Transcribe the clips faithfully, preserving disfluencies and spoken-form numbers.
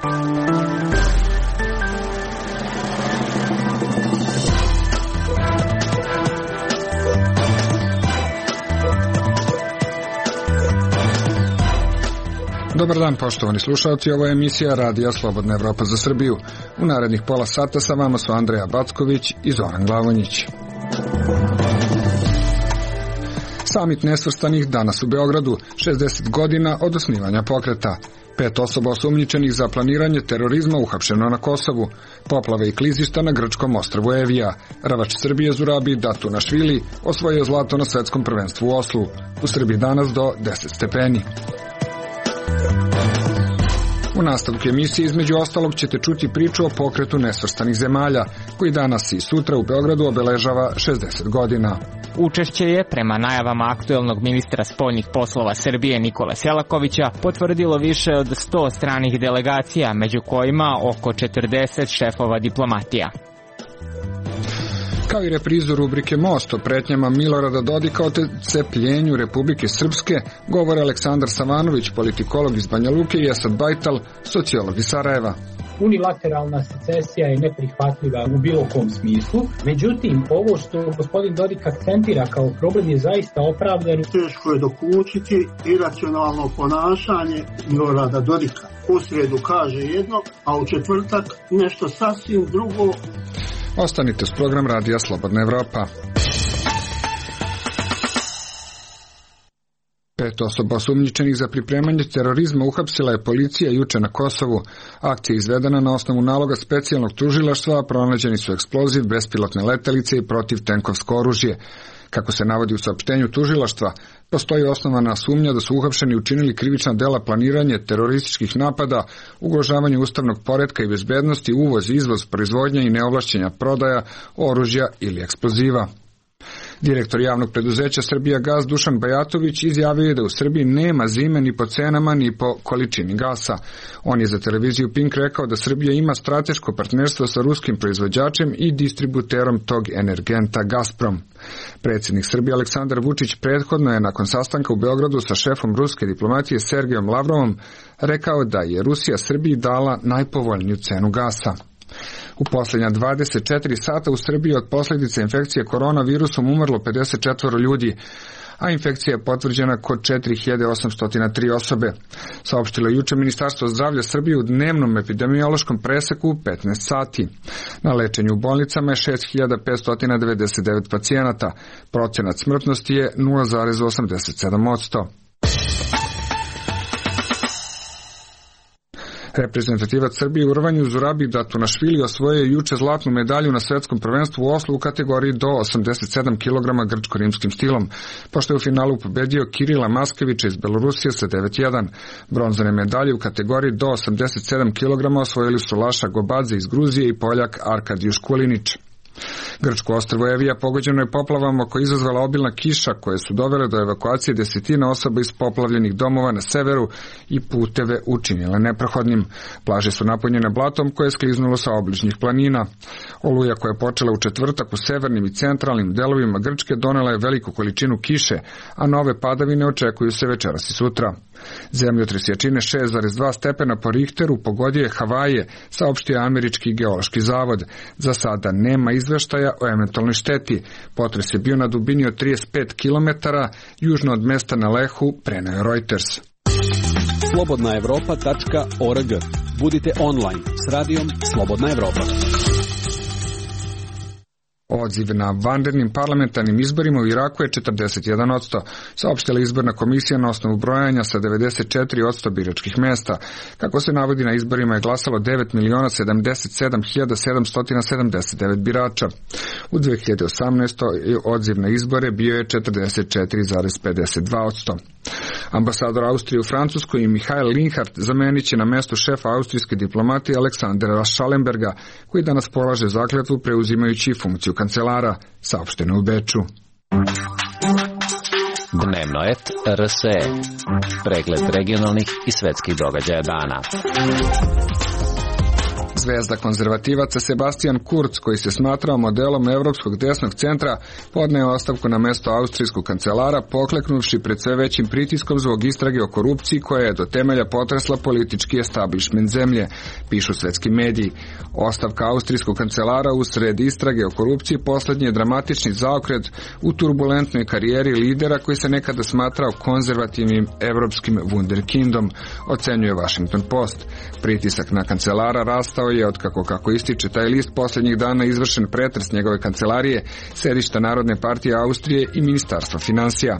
Dobar dan, poštovani slušalci, ovo je emisija Radija Slobodna Evropa za Srbiju. U narednih pola sata sa vama su Andreja Backović i Zoran Glavonjić. Samit nesvrstanih danas u Beogradu, šezdeset godina od osnivanja pokreta. Pet osoba osumnjičenih za planiranje terorizma uhapšeno na Kosovu, poplave i klizišta na grčkom ostrvu Evija. Ravač Srbije Zurabi Datunašvili osvojio zlato na svetskom prvenstvu u Oslu. U Srbiji danas do deset stepeni. U nastavku emisije između ostalog ćete čuti priču o pokretu nesvrstanih zemalja, koji danas i sutra u Beogradu obeležava šezdeset godina. Učešće je, prema najavama aktuelnog ministra spoljnih poslova Srbije Nikole Selakovića, potvrdilo više od sto stranih delegacija, među kojima oko četrdeset šefova diplomatija. Kao i reprizu rubrike Most o pretnjama Milorada Dodika o cepljenju Republike Srpske, govore Aleksandar Savanović, politikolog iz Banja Luke, i Esad Bajtal, sociolog iz Sarajeva. Unilateralna secesija je neprihvatljiva u bilo kom smislu, međutim, ovo što gospodin Dodik akcentira kao problem je zaista opravdano. Teško je dokučiti iracionalno ponašanje Milorada Dodika. U srijedu kaže jedno, a u četvrtak nešto sasvim drugo. Ostanite s program Radija Slobodna Evropa. Pet osoba osumnjičenih za pripremanje terorizma uhapsila je policija juče na Kosovu. Akcija je izvedena na osnovu naloga specijalnog tužilaštva, a pronađeni su eksploziv, bespilotne letelice i protivtenkovsko oružje. Kako se navodi u saopštenju tužilaštva, postoji osnovana sumnja da su uhapšeni učinili krivična dela planiranje terorističkih napada, ugrožavanje ustavnog poretka i bezbednosti, uvoz, izvoz, proizvodnja i neovlašćenja prodaja oružja ili eksploziva. Direktor javnog preduzeća Srbijagas Dušan Bajatović izjavio je da u Srbiji nema zime ni po cenama ni po količini gasa. On je za televiziju Pink rekao da Srbija ima strateško partnerstvo sa ruskim proizvođačem i distributerom tog energenta Gazprom. Predsjednik Srbije Aleksandar Vučić prethodno je nakon sastanka u Beogradu sa šefom ruske diplomatije Sergejom Lavrovom rekao da je Rusija Srbiji dala najpovoljniju cenu gasa. U posljednja dvadeset četiri sata u Srbiji od posljedice infekcije koronavirusom umrlo pedeset četvoro ljudi, a infekcija je potvrđena kod četiri hiljade osamsto tri osobe. Saopštilo je juče Ministarstvo zdravlja Srbije u dnevnom epidemiološkom preseku u petnaest sati. Na lečenju u bolnicama je šest hiljada petsto devedeset devet pacijenata. Procenat smrtnosti je nula zarez osamdeset sedam posto. Reprezentativac Srbije u rvanju Zurabi Datunašvili osvojio je juče zlatnu medalju na svetskom prvenstvu u Oslu u kategoriji do osamdeset sedam kilograma grčko-rimskim stilom, pošto je u finalu pobedio Kirila Maskevića iz Belorusije sa devet jedan. Bronzane medalje u kategoriji do osamdeset sedam kilograma osvojili su Laša Gobadze iz Gruzije i Poljak Arkadijuš Kulinić. Grčko ostrvo Evija pogođeno je poplavama koje izazvala obilna kiša koje su dovele do evakuacije desetina osoba iz poplavljenih domova na severu i puteve učinile neprohodnim. Plaže su napunjene blatom koje je skliznulo sa obližnjih planina. Oluja koja je počela u četvrtak u severnim i centralnim delovima Grčke donela je veliku količinu kiše, a nove padavine očekuju se večeras i sutra. Zemljotres jačine šest zarez dva stepena po Richteru pogodio je Havaje, saopštio Američki geološki zavod. Za sada nema izveštaja o eventualnoj šteti. Potres je bio na dubini od trideset pet kilometara južno od mesta na Lehu, preneo je Reuters. slobodna evropa tačka org. Budite online s radijom Slobodna Evropa. Odziv na vanrednim parlamentarnim izborima u Iraku je četrdeset jedan posto, saopštila izborna komisija na osnovu brojanja sa devedeset četiri posto biračkih mesta. Kako se navodi, na izborima je glasalo devet miliona sedamdeset sedam hiljada sedamsto sedamdeset devet birača. U dve hiljade osamnaestoj. odziv na izbore bio je četrdeset četiri zarez pedeset dva posto. Ambasador Austrije u Francuskoj Mihael Linhart zamenit će na mestu šefa austrijske diplomatije Aleksandra Schallenberga, koji danas polaže zakletvu preuzimajući funkciju kancelara, saopšteno u Beču. Dnevno et R S E. Pregled regionalnih i svetskih događaja dana. Zvezda konzervativaca Sebastian Kurz, koji se smatrao modelom evropskog desnog centra, podneo ostavku na mesto austrijskog kancelara, pokleknuvši pred sve većim pritiskom zbog istrage o korupciji koja je do temelja potresla politički establishment zemlje, pišu svetski mediji. Ostavka austrijskog kancelara usred istrage o korupciji poslednji je dramatični zaokret u turbulentnoj karijeri lidera koji se nekada smatrao konzervativnim evropskim wunderkindom, ocenjuje Washington Post. Pritisak na kancelara rastao je od kako kako ističe taj list posljednjih dana izvršen pretres njegove kancelarije, sedišta Narodne partije Austrije i Ministarstva finansija.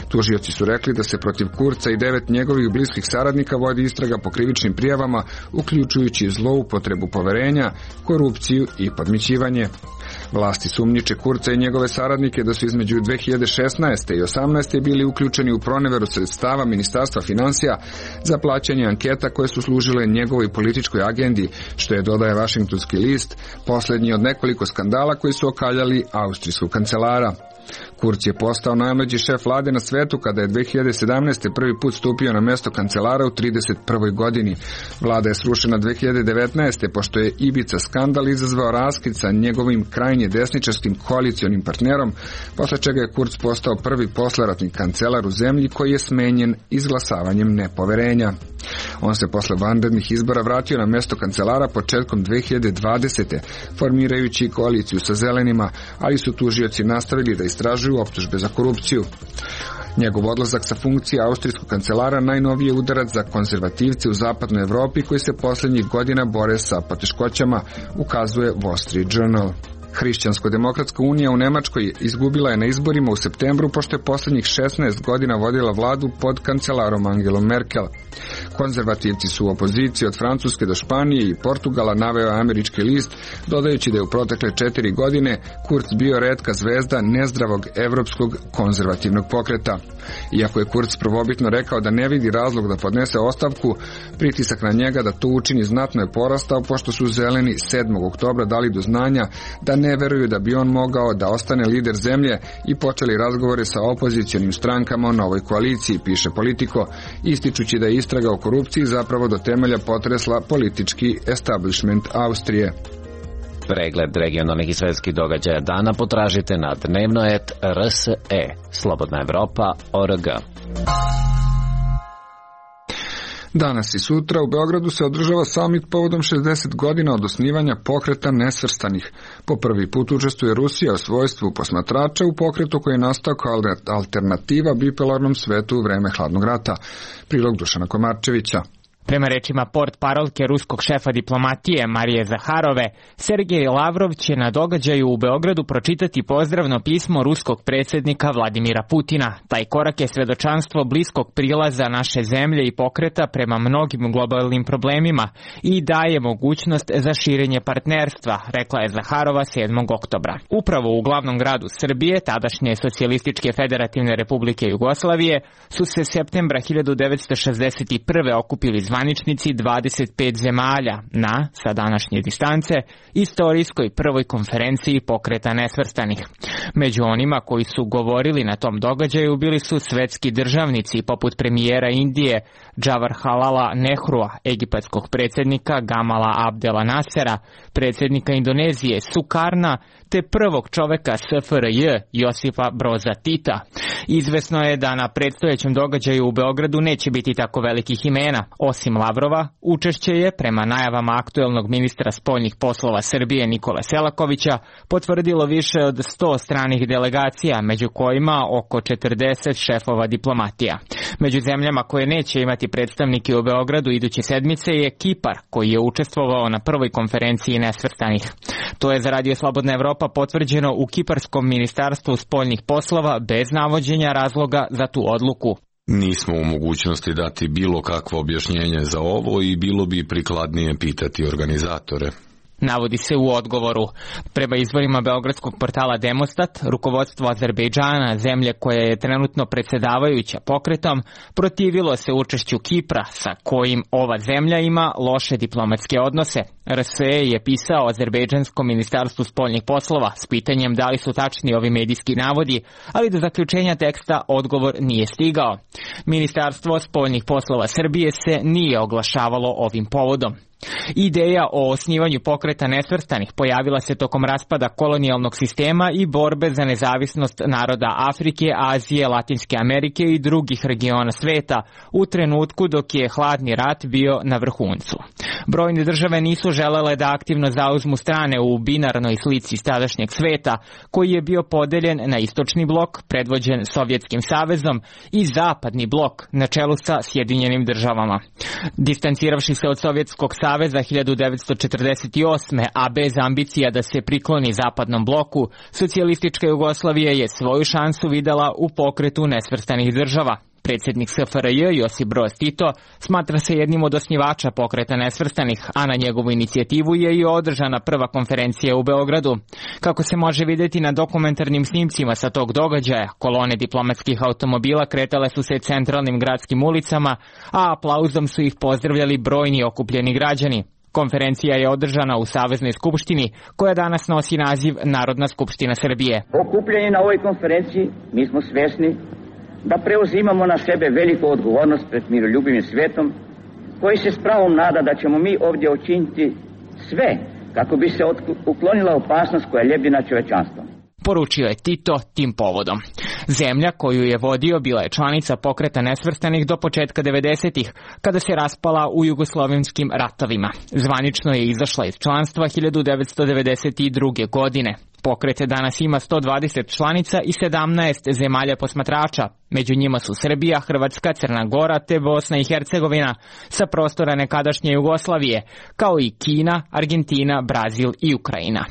Tužioci su rekli da se protiv Kurca i devet njegovih bliskih saradnika vodi istraga po krivičnim prijavama, uključujući zloupotrebu poverenja, korupciju i podmićivanje. Vlasti sumnjiče Kurca i njegove saradnike da su između dve hiljade šesnaeste i osamnaeste bili uključeni u proneveru sredstava Ministarstva finansija za plaćanje anketa koje su služile njegovoj političkoj agendi, što je, dodaje Washingtonski list, posljednji od nekoliko skandala koji su okaljali austrijskog kancelara. Kurz je postao najmlađi šef vlade na svetu kada je dve hiljade sedamnaeste. prvi put stupio na mesto kancelara u trideset prvoj godini. Vlada je srušena dve hiljade devetnaeste. pošto je Ibiza skandal izazvao raskid sa njegovim krajnje desničarskim koalicionim partnerom, posle čega je Kurz postao prvi posleratni kancelar u zemlji koji je smenjen izglasavanjem nepoverenja. On se posle vanrednih izbora vratio na mesto kancelara početkom dve hiljade dvadesete. formirajući koaliciju sa zelenima, ali su tužioci nastavili da istražuju optužbe za korupciju. Njegov odlazak sa funkcije austrijskog kancelara najnoviji je udarac za konzervativce u zapadnoj Evropi koji se posljednjih godina bore sa poteškoćama, ukazuje Wall Street Journal. Hrišćansko-demokratska unija u Nemačkoj izgubila je na izborima u septembru pošto je posljednjih šesnaest godina vodila vladu pod kancelarom Angelom Merkel. Konzervativci su u opoziciji od Francuske do Španije i Portugala, naveo američki list, dodajući da je u protekle četiri godine Kurz bio retka zvezda nezdravog evropskog konzervativnog pokreta. Iako je Kurz prvobitno rekao da ne vidi razlog da podnese ostavku, pritisak na njega da to učini znatno je porastao pošto su zeleni sedmog oktobra dali do znanja da ne veruju da bi on mogao da ostane lider zemlje i počeli razgovore sa opozicionim strankama o novoj koaliciji, piše Politico, ističući da je istraga o korupciji zapravo do temelja potresla politički establishment Austrije. Pregled regionalnih i svetskih događaja dana potražite na dnevnoet R S E, Slobodna Evropa, O R G. Danas i sutra u Beogradu se održava samit povodom šezdeset godina od osnivanja pokreta nesvrstanih. Po prvi put učestvuje Rusija u svojstvu posmatrača u pokretu koji je nastao kao alternativa bipolarnom svetu u vreme hladnog rata. Prilog Dušana Komarčevića. Prema rečima portparolke ruskog šefa diplomatije Marije Zaharove, Sergej Lavrov će na događaju u Beogradu pročitati pozdravno pismo ruskog predsjednika Vladimira Putina. Taj korak je svedočanstvo bliskog prilaza naše zemlje i pokreta prema mnogim globalnim problemima i daje mogućnost za širenje partnerstva, rekla je Zaharova sedmog oktobra. Upravo u glavnom gradu Srbije, tadašnje Socijalističke federativne republike Jugoslavije, su se septembra hiljadu devetsto šezdeset prve okupili zvaničnici dvadeset pet zemalja na, sa današnje distance, istorijskoj prvoj konferenciji pokreta nesvrstanih. Među onima koji su govorili na tom događaju bili su svetski državnici poput premijera Indije Jawaharlala Nehrua, egipatskog predsjednika Gamala Abdela Nasera, predsjednika Indonezije Sukarna, te prvog čoveka S F R J Josipa Broza Tita. Izvesno je da na predstojećem događaju u Beogradu neće biti tako velikih imena. Osim Lavrova, učešće je, prema najavama aktuelnog ministra spoljnih poslova Srbije Nikole Selakovića, potvrdilo više od sto stranih delegacija, među kojima oko četrdeset šefova diplomatija. Među zemljama koje neće imati predstavnike u Beogradu iduće sedmice je Kipar, koji je učestvovao na prvoj konferenciji nesvrstanih. To je za Radio Slobodna Evropa potvrđeno u Kiparskom ministarstvu spoljnih poslova bez navođenja razloga za tu odluku. Nismo u mogućnosti dati bilo kakvo objašnjenje za ovo i bilo bi prikladnije pitati organizatore. Navodi se u odgovoru. Prema izvorima beogradskog portala Demostat, rukovodstvo Azerbejdžana, zemlje koja je trenutno predsjedavajuća pokretom, protivilo se učešću Kipra, sa kojim ova zemlja ima loše diplomatske odnose. R S E je pisao Azerbejdžanskom ministarstvu spoljnih poslova s pitanjem da li su tačni ovi medijski navodi, ali do zaključenja teksta odgovor nije stigao. Ministarstvo spoljnih poslova Srbije se nije oglašavalo ovim povodom. Ideja o osnivanju pokreta nesvrstanih pojavila se tokom raspada kolonijalnog sistema i borbe za nezavisnost naroda Afrike, Azije, Latinske Amerike i drugih regiona sveta u trenutku dok je hladni rat bio na vrhuncu. Brojne države nisu želele da aktivno zauzmu strane u binarnoj slici tadašnjeg sveta, koji je bio podeljen na istočni blok, predvođen Sovjetskim savezom, i zapadni blok, na čelu sa Sjedinjenim državama. Distanciravši se od Sovjetskog saveza hiljadu devetsto četrdeset osme. a bez ambicija da se prikloni zapadnom bloku, socijalistička Jugoslavija je svoju šansu videla u pokretu nesvrstanih država. Predsjednik S F R J Josip Broz Tito smatra se jednim od osnivača pokreta nesvrstanih, a na njegovu inicijativu je i održana prva konferencija u Beogradu. Kako se može vidjeti na dokumentarnim snimcima sa tog događaja, kolone diplomatskih automobila kretale su se centralnim gradskim ulicama, a aplauzom su ih pozdravljali brojni okupljeni građani. Konferencija je održana u Saveznoj skupštini, koja danas nosi naziv Narodna skupština Srbije. Okupljeni na ovoj konferenciji mi smo svesni da preuzimamo na sebe veliku odgovornost pred miroljubivim svetom, koji se s pravom nada da ćemo mi ovdje učiniti sve kako bi se uklonila opasnost koja lebdi na čovečanstvo. Poručio je Tito tim povodom. Zemlja koju je vodio bila je članica pokreta nesvrstanih do početka devedesetih, kada se raspala u jugoslovenskim ratovima. Zvanično je izašla iz članstva hiljadu devetsto devedeset druge. godine. Pokret danas ima sto dvadeset članica i sedamnaest zemalja posmatrača. Među njima su Srbija, Hrvatska, Crna Gora te Bosna i Hercegovina sa prostora nekadašnje Jugoslavije, kao i Kina, Argentina, Brazil i Ukrajina.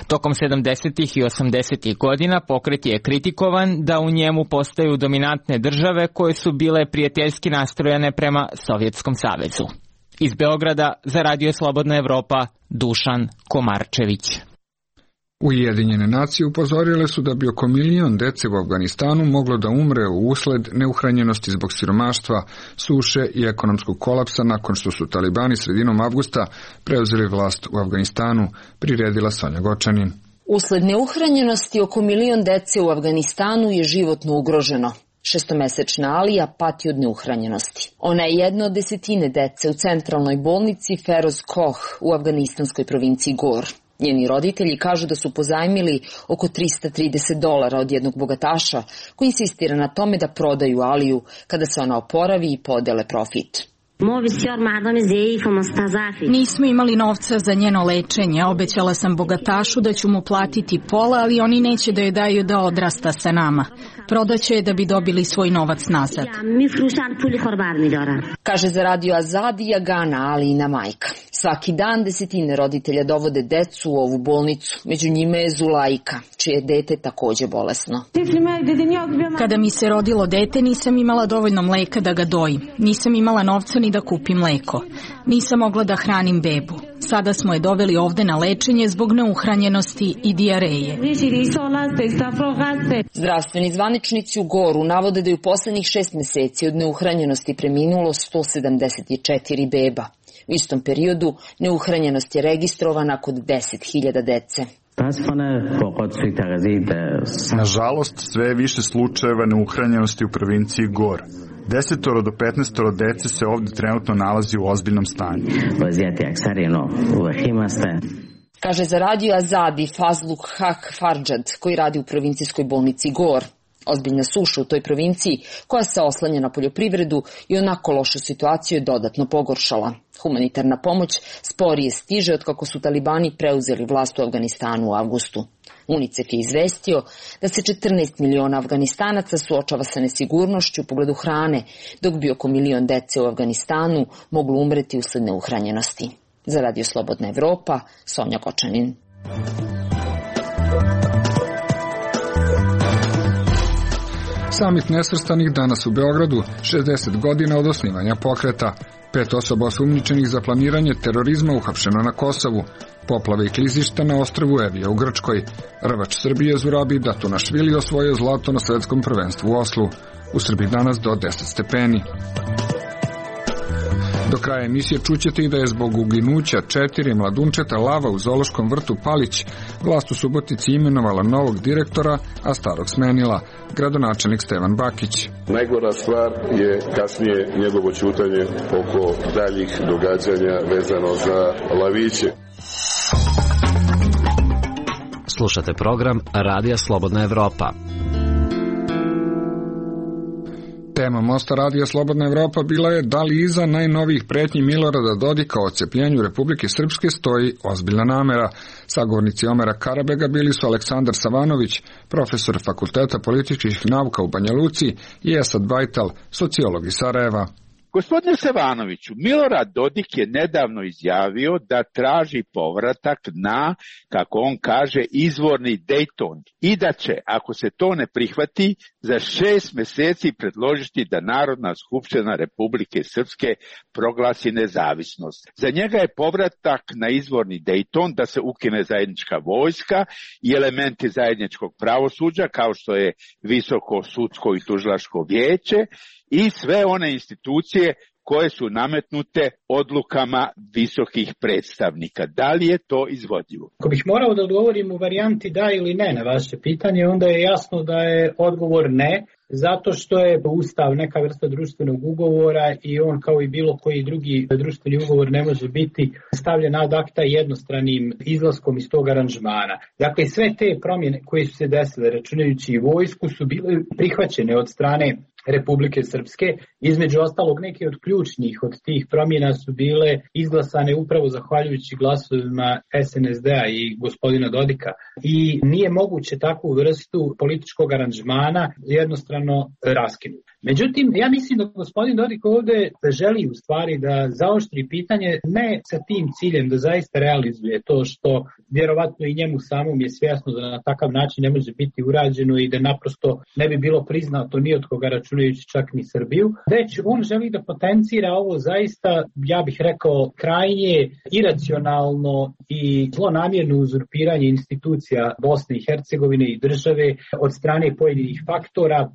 Tokom sedamdesetih i osamdesetih godina pokret je kritikovan da u njemu postaju dominantne države koje su bile prijateljski nastrojene prema Sovjetskom savezu. Iz Beograda za Radio Slobodna Evropa, Dušan Komarčević. Ujedinjene nacije upozorile su da bi oko milion dece u Afganistanu moglo da umre u usled neuhranjenosti zbog siromaštva, suše i ekonomskog kolapsa nakon što su talibani sredinom avgusta preuzeli vlast u Afganistanu, priredila Sonja Gočanin. Usled neuhranjenosti oko milion dece u Afganistanu je životno ugroženo. Šestomesečna Alija pati od neuhranjenosti. Ona je jedna od desetine dece u centralnoj bolnici Feroz Koh u afganistanskoj provinciji Gor. Njeni roditelji kažu da su pozajmili oko trista trideset dolara od jednog bogataša koji insistira na tome da prodaju Aliju kada se ona oporavi i podele profit. Nismo imali novca za njeno lečenje. Obećala sam bogatašu da ću mu platiti pola, ali oni neće da joj daju da odrasta sa nama. Prodaće je da bi dobili svoj novac nazad. Kaže za Radio Azadi Agana Alijina majka. Svaki dan desetine roditelja dovode decu u ovu bolnicu. Među njima je Zulajka, čije dete takođe bolesno. Kada mi se rodilo dete, nisam imala dovoljno mleka da ga dojim. Nisam imala novca ni da kupim mleko. Nisam mogla da hranim bebu. Sada smo je doveli ovde na lečenje zbog neuhranjenosti i dijareje. Zdravstveni zvaničnici u Goru navode da je u poslednjih šest meseci od neuhranjenosti preminulo sto sedamdeset četiri beba. U istom periodu neuhranjenost je registrovana kod deset hiljada dece. Nažalost, sve je više slučajeva neuhranjenosti u provinciji Gor. Desetoro do petnaestoro dece se ovdje trenutno nalazi u ozbiljnom stanju. Kaže za Radio Azadi Fazluk Hak Farđad, koji radi u provincijskoj bolnici Gor. Ozbiljna suša u toj provinciji, koja se oslanja na poljoprivredu i onako lošu situaciju je dodatno pogoršala. Humanitarna pomoć sporije stiže od kako su talibani preuzeli vlast u Afganistanu u avgustu. UNICEF je izvestio da se četrnaest miliona Afganistanaca suočava sa nesigurnošću u pogledu hrane, dok bi oko milion dece u Afganistanu moglo umreti usled neuhranjenosti. Za Radio Slobodna Evropa, Sonja Gočanin. Samit nesvrstanih danas u Beogradu, šezdeset godina od osnivanja pokreta. Pet osoba osumnjičenih za planiranje terorizma uhapšeno na Kosovu. Poplave i klizišta na ostrvu Evija u Grčkoj. Rvač Srbije Zurabi Datunašvili osvojio zlato na svetskom prvenstvu u Oslu. U Srbiji danas do deset stepeni. Do kraja emisije čućete i da je zbog uginuća četiri mladunčeta lava u zoološkom vrtu Palić vlast u Subotici imenovala novog direktora, a starog smenila, gradonačelnik Stevan Bakić. Najgora stvar je kasnije njegovo ćutanje oko daljih događanja vezano za laviće. Slušate program Radija Slobodna Evropa. Tema Mosta Radija Slobodna Evropa bila je da li iza najnovijih pretnji Milorada Dodika o odcepljenju Republike Srpske stoji ozbiljna namera. Sagovornici Omera Karabega bili su Aleksandar Savanović, profesor Fakulteta političkih nauka u Banja Luci, i Esad Bajtal, sociolog iz Sarajeva. Gospodine Savanoviću, Milorad Dodik je nedavno izjavio da traži povratak na, kako on kaže, izvorni Dejton i da će, ako se to ne prihvati, za šest meseci predložiti da Narodna skupština Republike Srpske proglasi nezavisnost. Za njega je povratak na izvorni Dejton da se ukine zajednička vojska i elementi zajedničkog pravosuđa kao što je visoko sudsko i tužilačko vijeće i sve one institucije koje su nametnute odlukama visokih predstavnika. Da li je to izvodljivo? Ako bih morao da odgovorim u varijanti da ili ne na vaše pitanje, onda je jasno da je odgovor ne, zato što je Ustav neka vrsta društvenog ugovora i on kao i bilo koji drugi društveni ugovor ne može biti stavljen ad acta jednostranim izlaskom iz tog aranžmana. Dakle, sve te promjene koje su se desile, računajući i vojsku, su bile prihvaćene od strane Republike Srpske. Između ostalog, neke od ključnih od tih promjena su bile izglasane upravo zahvaljujući glasovima es en es de a i gospodina Dodika. I nije moguće takvu vrstu političkog aranžmana jednostrano raskinuti. Međutim, ja mislim da gospodin Dodik ovdje želi u stvari da zaoštri pitanje ne sa tim ciljem da zaista realizuje to što vjerovatno i njemu samom je svjesno da na takav način ne može biti urađeno i da naprosto ne bi bilo priznato ni od koga, računajući čak ni Srbiju, već on želi da potencira ovo zaista, ja bih rekao, krajnje iracionalno i zlonamjerno uzurpiranje institucija Bosne i Hercegovine i države od strane pojedinih faktora.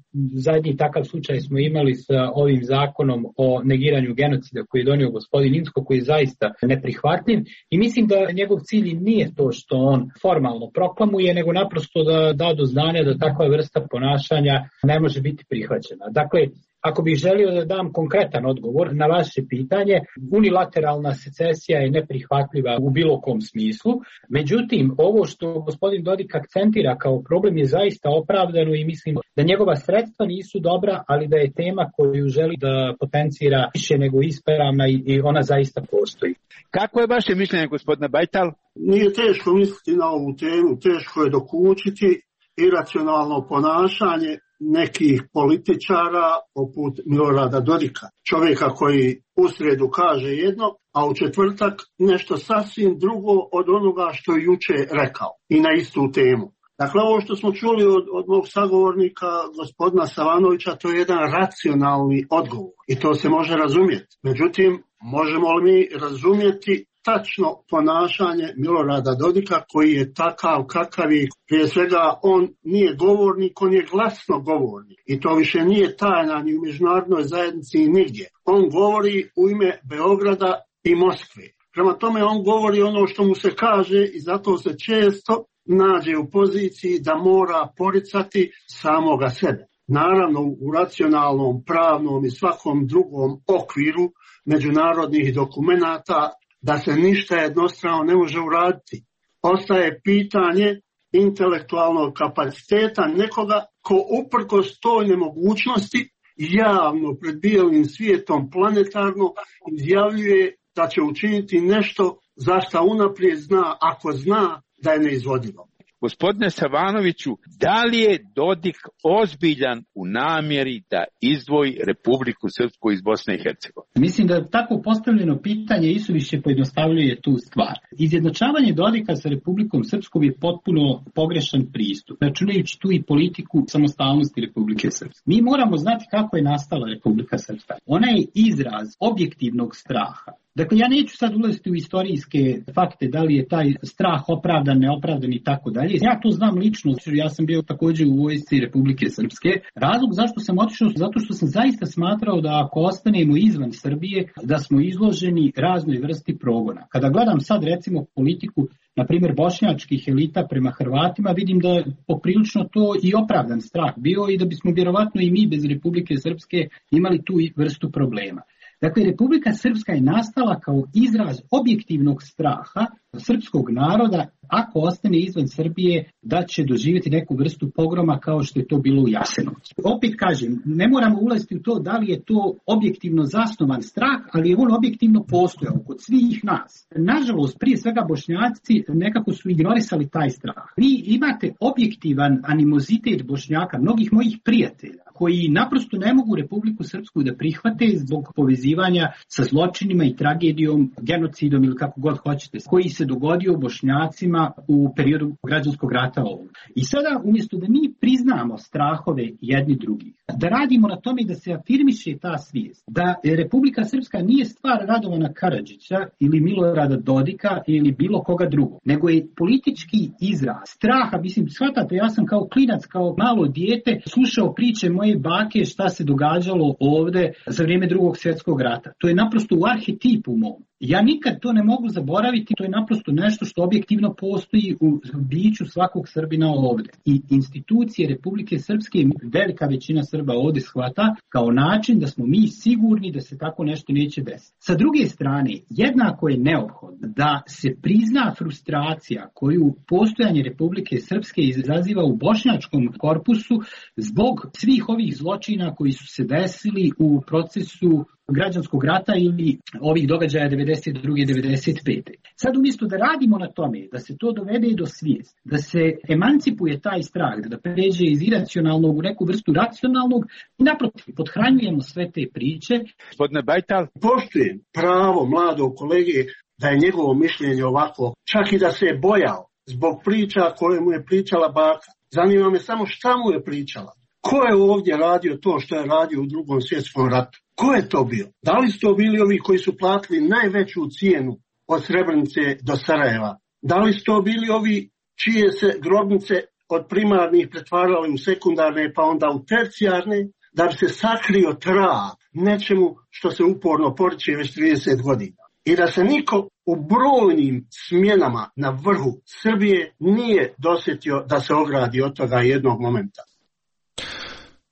Zadnji takav slučaj smo imali sa ovim zakonom o negiranju genocida koji je donio gospodin Incko, koji je zaista neprihvatljiv, i mislim da njegov cilj nije to što on formalno proklamuje, nego naprosto da da do znanja da takva vrsta ponašanja ne može biti prihvaćena. Dakle, ako bih želio da dam konkretan odgovor na vaše pitanje, unilateralna secesija je neprihvatljiva u bilo kom smislu. Međutim, ovo što gospodin Dodik akcentira kao problem je zaista opravdano i mislim da njegova sredstva nisu dobra, ali da je tema koju želi da potencira više nego ispravna i ona zaista postoji. Kako je vaše mišljenje, gospodine Bajtal? Nije teško misliti na ovu temu, teško je dokučiti iracionalno ponašanje nekih političara poput Milorada Dodika. Čovjeka koji u srijedu kaže jedno, a u četvrtak nešto sasvim drugo od onoga što je juče rekao i na istu temu. Dakle, ovo što smo čuli od, od mog sagovornika, gospodina Savanovića, to je jedan racionalni odgovor i to se može razumjeti. Međutim, možemo li mi razumjeti tačno ponašanje Milorada Dodika koji je takav kakav je? Prije svega, on nije govornik, on je glasno govornik i to više nije tajna ni u međunarodnoj zajednici i nigdje. On govori u ime Beograda i Moskve. Prema tome, on govori ono što mu se kaže i zato se često nađe u poziciji da mora poricati samoga sebe. Naravno, u racionalnom, pravnom i svakom drugom okviru međunarodnih dokumenata da se ništa jednostrano ne može uraditi. Ostaje pitanje intelektualnog kapaciteta nekoga ko uprkos toj nemogućnosti javno pred bijelim svijetom planetarno izjavljuje da će učiniti nešto za što unaprijed zna, ako zna da je neizvodivo. Gospodine Savanoviću, da li je Dodik ozbiljan u namjeri da izdvoji Republiku Srpsku iz Bosne i Hercegovine? Mislim da tako postavljeno pitanje isuviše pojednostavljuje tu stvar. Izjednačavanje Dodika sa Republikom Srpskom je potpuno pogrešan pristup, računajući tu i politiku samostalnosti Republike Srpske. Mi moramo znati kako je nastala Republika Srpska. Ona je izraz objektivnog straha Dakle, ja neću sad ulaziti u istorijske fakte, da li je taj strah opravdan, neopravdan i tako dalje. Ja to znam lično, ja sam bio također u vojsci Republike Srpske. Razlog zašto sam otišao, zato što sam zaista smatrao da ako ostanemo izvan Srbije, da smo izloženi raznoj vrsti progona. Kada gledam sad recimo politiku, na primjer bošnjačkih elita prema Hrvatima, vidim da je poprilično to i opravdan strah bio i da bismo vjerovatno i mi bez Republike Srpske imali tu vrstu problema. Dakle, Republika Srpska je nastala kao izraz objektivnog straha srpskog naroda, ako ostane izvan Srbije, da će doživjeti neku vrstu pogroma kao što je to bilo u Jasenovcu. Opet kažem, ne moramo ulaziti u to da li je to objektivno zasnovan strah, ali je on objektivno postojao kod svih nas. Nažalost, prije svega Bošnjaci nekako su ignorisali taj strah. Vi imate objektivan animozitet Bošnjaka, mnogih mojih prijatelja, koji naprosto ne mogu Republiku Srpsku da prihvate zbog povezivanja sa zločinima i tragedijom, genocidom ili kako god hoćete, koji se dogodio Bošnjacima u periodu građanskog rata ovog. I sada, umjesto da mi priznamo strahove jedni drugih, da radimo na tome da se afirmiše ta svijest, da Republika Srpska nije stvar Radovana Karadžića ili Milorada Dodika ili bilo koga drugog, nego je politički izraz straha. Mislim, shvatate, ja sam kao klinac, kao malo dijete, slušao priče moje bake šta se događalo ovde za vrijeme drugog svjetskog rata. To je naprosto u arhetipu mom. Ja nikad to ne mogu zaboraviti, to je naprosto nešto što objektivno postoji u biću svakog Srbina ovde. I institucije Republike Srpske, velika većina Srba ovde shvata kao način da smo mi sigurni da se tako nešto neće desiti. Sa druge strane, jednako je neophodno da se prizna frustracija koju postojanje Republike Srpske izaziva u bošnjačkom korpusu zbog svih ovih zločina koji su se desili u procesu građanskog rata ili ovih događaja devedeset druge devedeset pete Sad umjesto da radimo na tome, da se to dovede do svijesti, da se emancipuje taj strah, da pređe iz iracionalnog u neku vrstu racionalnog, i naprotiv, podhranjujemo sve te priče. Gospodine Bajtal, poštujem pravo mladog kolege da je njegovo mišljenje ovako, čak i da se je bojao zbog priča koje mu je pričala baka. Zanima me samo šta mu je pričala. Ko je ovdje radio to što je radio u drugom svjetskom ratu? Ko je to bio? Da li su to bili ovi koji su platili najveću cijenu od Srebrenice do Sarajeva? Da li su to bili ovi čije se grobnice od primarnih pretvarali u sekundarne pa onda u tercijarne, da bi se sakrio trag nečemu što se uporno poriče već trideset godina? I da se niko u brojnim smjenama na vrhu Srbije nije dosjetio da se ogradi od toga jednog momenta.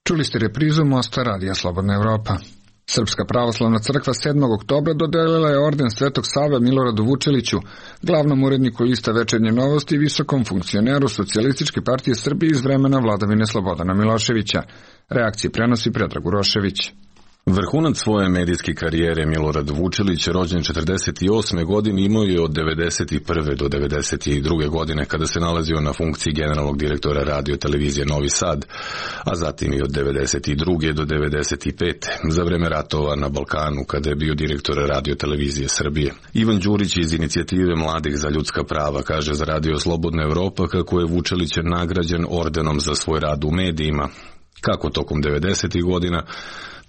Čuli ste reprizu Mosta radija Slobodna Evropa. Srpska pravoslavna crkva sedmog oktobra dodelila je orden Svetog Save Miloradu Vučeliću, glavnom uredniku lista Večernje novosti i visokom funkcioneru Socijalističke partije Srbije iz vremena vladavine Slobodana Miloševića. Reakcije prenosi Predrag Urošević. Vrhunac svoje medijske karijere Milorad Vučelić, rođen četrdeset osme godine, imao je od devedeset prve do devedeset druge godine kada se nalazio na funkciji generalnog direktora radio televizije Novi Sad, a zatim i od devedeset druge do devedeset pete za vreme ratova na Balkanu kada je bio direktor radio televizije Srbije. Ivan Đurić iz inicijative Mladih za ljudska prava kaže za radio Slobodna Evropa kako je Vučelić nagrađen ordenom za svoj rad u medijima, kako tokom devedesetih godina,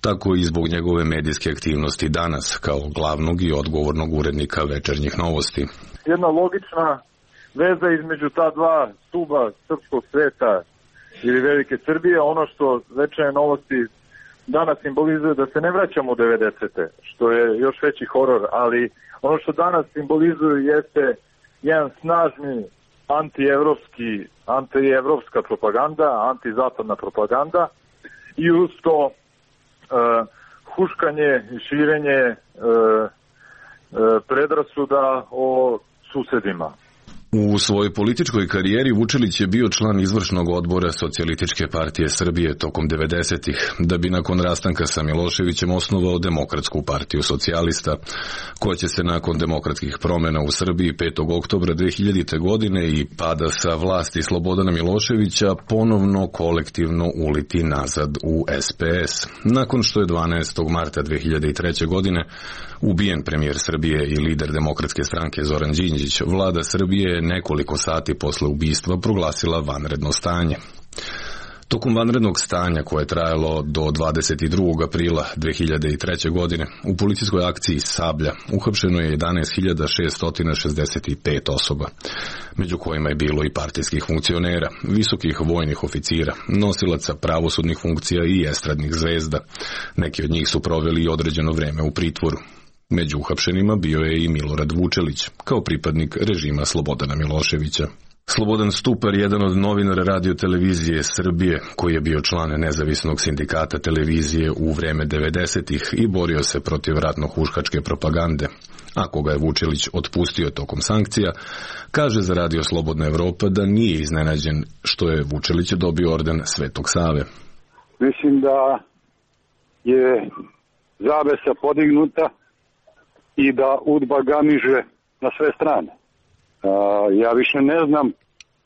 tako i zbog njegove medijske aktivnosti danas kao glavnog i odgovornog urednika Večernjih novosti. Jedna logična veza između ta dva stuba srpskog sveta ili Velike Srbije, ono što Večernje novosti danas simbolizuje da se ne vraćamo u devedesete, što je još veći horor, ali ono što danas simbolizuje jeste jedan snažni antievropski, antievropska propaganda, antizapadna propaganda i uz to Uh, huškanje i širenje uh, uh, predrasuda o susedima. U svojoj političkoj karijeri Vučelić je bio član izvršnog odbora Socijalističke partije Srbije tokom devedesetih, da bi nakon rastanka sa Miloševićem osnovao Demokratsku partiju socijalista, koja će se nakon demokratskih promjena u Srbiji petog oktobra dve hiljadite. godine i pada sa vlasti Slobodana Miloševića ponovno kolektivno uliti nazad u es pe es. Nakon što je dvanaestog marta dve hiljade treće. godine ubijen premijer Srbije i lider Demokratske stranke Zoran Đinđić, vlada Srbije nekoliko sati posle ubistva proglasila vanredno stanje. Tokom vanrednog stanja koje je trajalo do dvadeset drugog aprila dve hiljade treće. godine u policijskoj akciji Sablja uhapšeno je jedanaest hiljada šessto šezdeset pet osoba, među kojima je bilo i partijskih funkcionera, visokih vojnih oficira, nosilaca pravosudnih funkcija i estradnih zvezda. Neki od njih su proveli određeno vreme u pritvoru. Među uhapšenima bio je i Milorad Vučelić, kao pripadnik režima Slobodana Miloševića. Slobodan Stupar, jedan od novinara radio televizije Srbije, koji je bio član nezavisnog sindikata televizije u vreme devedesetih i borio se protiv ratno-huškačke propagande, a koga je Vučelić otpustio tokom sankcija, kaže za Radio Slobodna Evropa da nije iznenađen što je Vučelić dobio orden Svetog Save. Mislim da je zavesa podignuta i da udba gamiže na sve strane. Uh, ja više ne znam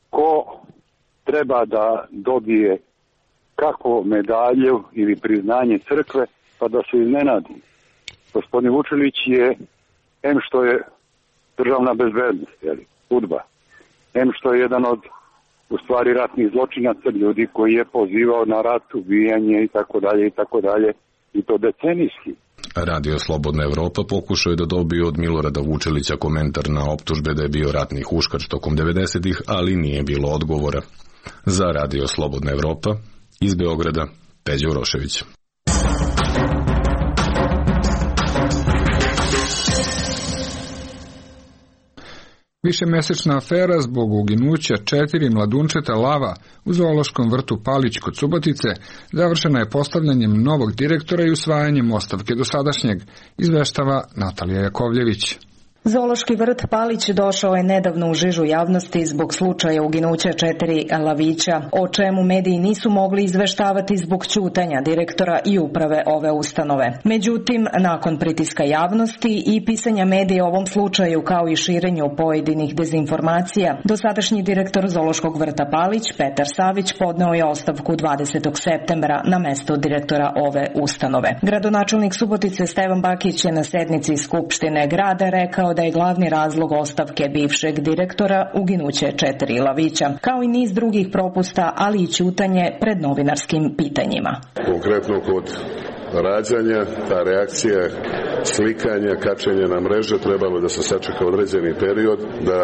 ko treba da dobije kako medalju ili priznanje crkve, pa da se iznenadi. Gospodin Vučelić je, em što je državna bezbednost, jeli, udba, em što je jedan od, u stvari, ratnih zločinaca, ljudi koji je pozivao na rat, ubijanje i tako dalje i tako dalje, i to decenijski. Radio Slobodna Evropa pokušao je da dobije od Milorada Vučelića komentar na optužbe da je bio ratni huškač tokom devedesetih, ali nije bilo odgovora. Za Radio Slobodna Evropa, iz Beograda, Peđa Urošević. Višemesečna afera zbog uginuća četiri mladunčeta lava u zoološkom vrtu Palić kod Subotice završena je postavljanjem novog direktora i usvajanjem ostavke dosadašnjeg, izveštava Natalija Jakovljević. Zoološki vrt Palić došao je nedavno u žižu javnosti zbog slučaja uginuća četiri lavića, o čemu mediji nisu mogli izveštavati zbog ćutanja direktora i uprave ove ustanove. Međutim, nakon pritiska javnosti i pisanja medija o ovom slučaju kao i širenju pojedinih dezinformacija, dosadašnji direktor Zoološkog vrta Palić, Petar Savić, podneo je ostavku dvadesetog septembra na mesto direktora ove ustanove. Gradonačelnik Subotice Stevan Bakić je na sednici Skupštine grada rekao da je glavni razlog ostavke bivšeg direktora uginuće četiri lavića, kao i niz drugih propusta, ali i ćutanje pred novinarskim pitanjima. Konkretno kod rađanja, ta reakcija slikanja, kačenja na mreže, trebalo da se sačeka određeni period, da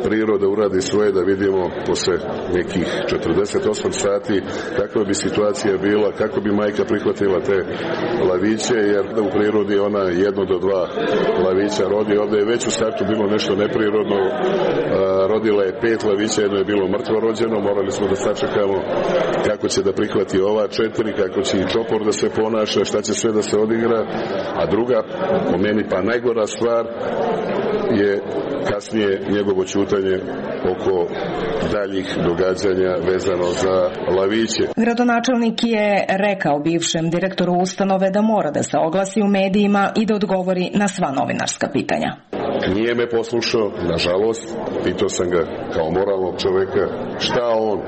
priroda uradi svoje, da vidimo posle nekih četrdeset osam sati kakva bi situacija bila, kako bi majka prihvatila te laviće, jer da u prirodi ona jedno do dva lavića rodi. Ovde je već u startu bilo nešto neprirodno, rodila je pet lavića, jedno je bilo mrtvo rođeno, morali smo da sačekamo kako će da prihvati ova četiri, kako će i čopor da se ponaša, šta će sve da se odigra, a druga, po meni pa najgora stvar, je kasnije njegovo ćutanje oko daljih događanja vezano za laviće. Gradonačelnik je rekao bivšem direktoru ustanove da mora da se oglasi u medijima i da odgovori na sva novinarska pitanja. Nije me poslušao, nažalost, pitao sam ga kao moralnog čoveka šta on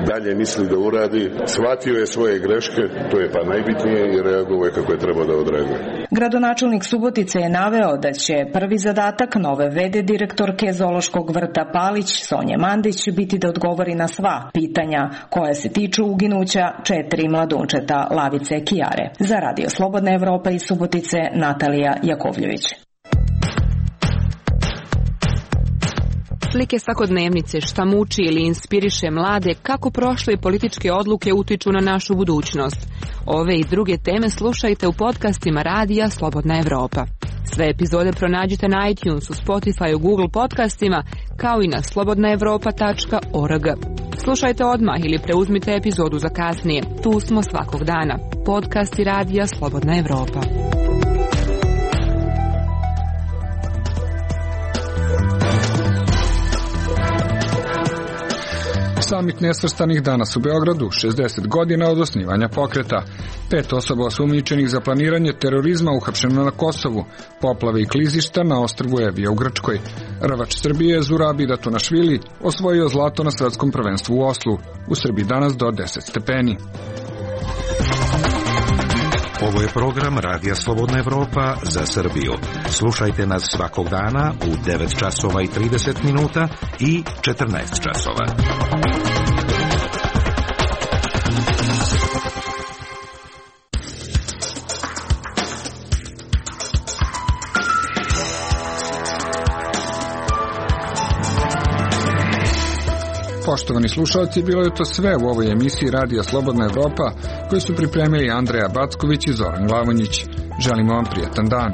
dalje misli da uradi, shvatio je svoje greške, to je pa najbitnije, i reagovao je kako je trebao da odreaguje. Gradonačelnik Subotice je naveo da će prvi zadatak nove ve de direktorke Zoološkog vrta Palić, Sonje Mandić, biti da odgovori na sva pitanja koja se tiču uginuća četiri mladunčeta lavice Kijare. Za Radio Slobodna Evropa iz Subotice, Natalija Jakovljević. Slike svakodnevnice, šta muči ili inspiriše mlade, kako prošle političke odluke utiču na našu budućnost. Ove i druge teme slušajte u podcastima Radija Slobodna Evropa. Sve epizode pronađite na iTunesu, Spotifyu, Google podcastima, kao i na slobodna evropa tačka org. Slušajte odmah ili preuzmite epizodu za kasnije. Tu smo svakog dana. Podcasti Radija Slobodna Evropa. Samit nesvrstanih danas u Beogradu, šezdeset godina od osnivanja pokreta. Pet osoba osumnjičenih za planiranje terorizma uhapšeno na Kosovu, poplave i klizišta na ostrvu Evija u Grčkoj. Rvač Srbije Zurabi Datunašvili osvojio zlato na svetskom prvenstvu u Oslu. U Srbiji danas do deset stepeni. Ovo je program Radija Slobodna Evropa za Srbiju. Slušajte nas svakog dana u devet časova i trideset minuta i četrnaest časova. Poštovani slušalci, bilo je to sve u ovoj emisiji Radija Slobodna Evropa koju su pripremili Andreja Backović i Zoran Glavonjić. Želimo vam prijatan dan.